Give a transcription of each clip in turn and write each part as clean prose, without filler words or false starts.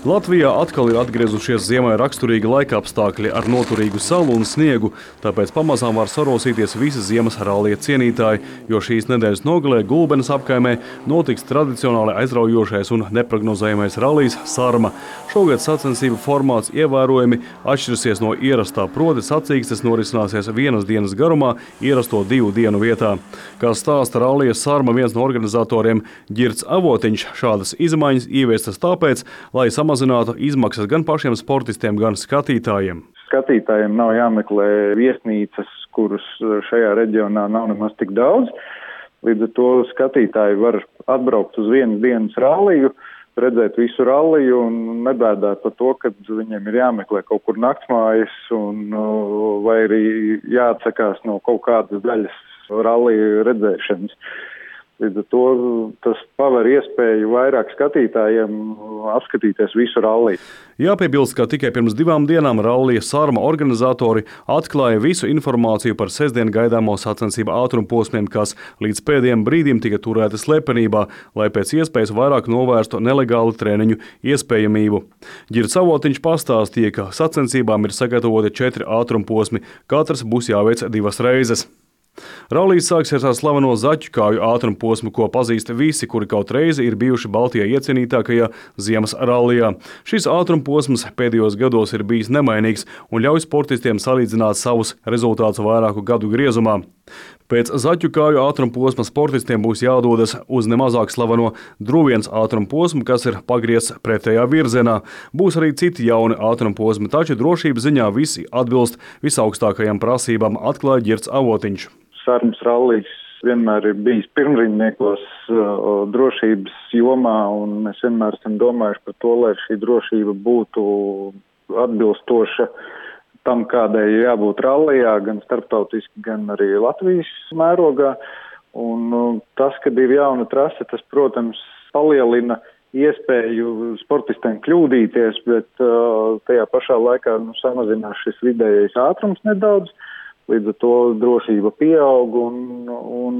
Latvijā atkal ir atgriezušies ziemai raksturīgi laikapstākļi ar noturīgu salu un sniegu, tāpēc pamazām var sarosīties visi ziemas rallija cienītāji, jo šīs nedēļas nogalē Gulbenes apkaimē notiks tradicionāli aizraujošais un neprognozējamais rallijs Sarma. Šogad sacensību formāts ievērojami atšķirsies no ierastā, proti sacīkstes norisināsies vienas dienas garumā, ierasto 2 dienu vietā. Kā stāsta rallija Sarma viens no organizatoriem Ģirds Avotiņš, šādas izmaiņas ieviestas tāpēc, lai samazinātu izmaksas gan pašiem sportistiem, gan skatītājiem. Skatītājiem nav jāmeklē viesnīcas, kuras šajā reģionā nav nemaz tik daudz. Līdz ar to skatītāji var atbraukt uz vienas dienas ralliju, redzēt visu ralliju un nebēdāt par to, ka viņiem ir jāmeklē kaut kur naktsmājas vai arī jāatsakās no kaut kādas daļas ralliju redzēšanas. Līdz ar to tas paver iespēju vairāk skatītājiem apskatīties visu ralliju. Jāpiebilst, ka tikai pirms 2 dienām rallija Sarma organizatori atklāja visu informāciju par sestdien gaidāmo sacensību ātrumposmiem, kas līdz pēdējiem brīdim tika turēti slepenībā, lai pēc iespējas vairāk novērstu nelegālu treniņu iespējamību. Ģirds Avotiņš pastāstīja, ka sacensībām ir sagatavoti 4 ātrumposmi, katrs būs jāveic 2 reizes. Rallijs sāksies ar slaveno zaķukāju ātrumposmu, ko pazīst visi, kuri kaut reizi ir bijuši Baltijā iecienītākajā ziemas rallijā. Šis ātrumposms pēdējos gados ir bijis nemainīgs un ļauj sportistiem salīdzināt savus rezultātus vairāku gadu griezumā. Pēc zaķukāju ātrumposma sportistiem būs jādodas uz nemazāk slaveno Druvienas ātrumposmu, kas ir pagriezts pretējā virzienā. Būs arī citi jauni ātrumposmi, taču drošības ziņā visi atbilst visaugstākajām prasībām, atklāja Ģirds Avotiņš. Sarmas rallijs vienmēr ir bijis pirmrindniekos drošības jomā, un mēs vienmēr esam domājuši par to, lai šī drošība būtu atbilstoša tam, kādai jābūt rallijā, gan starptautiski, gan arī Latvijas mērogā. Un tas, kad ir jauna trase, tas, protams, palielina iespēju sportistiem kļūdīties, bet tajā pašā laikā samazinās šis vidējais ātrums nedaudz. Līdz ar to drošība pieaug un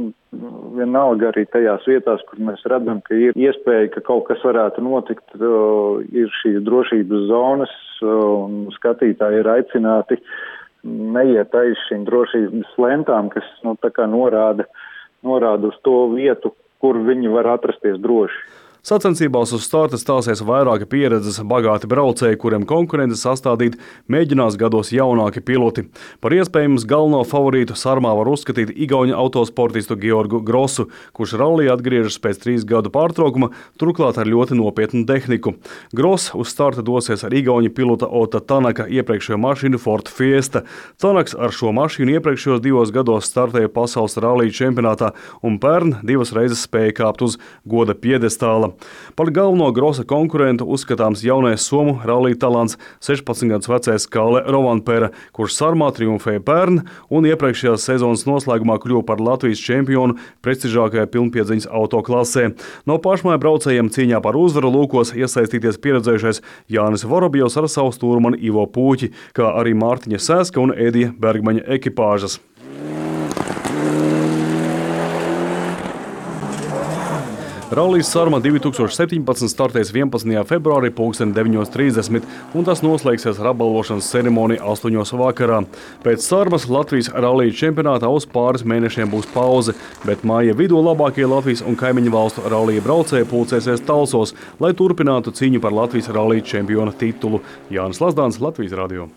vienalga arī tajās vietās, kur mēs redzam, ka ir iespēja, ka kaut kas varētu notikt, ir šīs drošības zonas un skatītāji ir aicināti neiet aiz šīm drošības lentām, kas tā kā norāda uz to vietu, kur viņi var atrasties droši. Sacensībās uz starta stāsies vairāki pieredzes bagāti braucēji, kuriem konkurenti sastādīt mēģinās gados jaunāki piloti. Par iespējams galveno favorītu Sarmā var uzskatīt igauņu autosportistu Georgu Grosu, kurš rallija atgriežas pēc 3 gadu pārtraukuma, turklāt ar ļoti nopietnu tehniku. Gross uz starta dosies ar igauņu pilota Ota Tanaka iepriekšējo mašīnu Ford Fiesta. Tanaks ar šo mašīnu iepriekšējos 2 gados startēja pasaules rallija čempionātā un pērn 2 reizes spēja kāpt uz goda piedestāla. Par galveno Grosa konkurentu uzskatāms jaunais somu rallija talants 16 gadus vecais Kalle Rovanpera, kurš Sarmā triumfēja pērn un iepriekšējās sezonas noslēgumā kļuva par Latvijas čempionu prestižākajā pilnpiedziņas autoklasē. No pašmāju braucējiem cīņā par uzvaru lūkos iesaistīties pieredzējušais Jānis Vorobjovs ar savu stūrmani Ivo Pūķi, kā arī Mārtiņa Sēska un Edija Bergmaņa ekipāžas. Rallijs Sarma 2017 startēs 11. februārī 9:30, un tas noslēgsies ar apbalvošanas ceremoniju 8. vakarā. Pēc Sarmas Latvijas rallija čempionātā uz pāris mēnešiem būs pauze, bet māja vidū labākie Latvijas un kaimiņu valstu rallija braucēji pulcēsies Talsos, lai turpinātu cīņu par Latvijas rallija čempiona titulu. Jānis Lazdāns, Latvijas radio.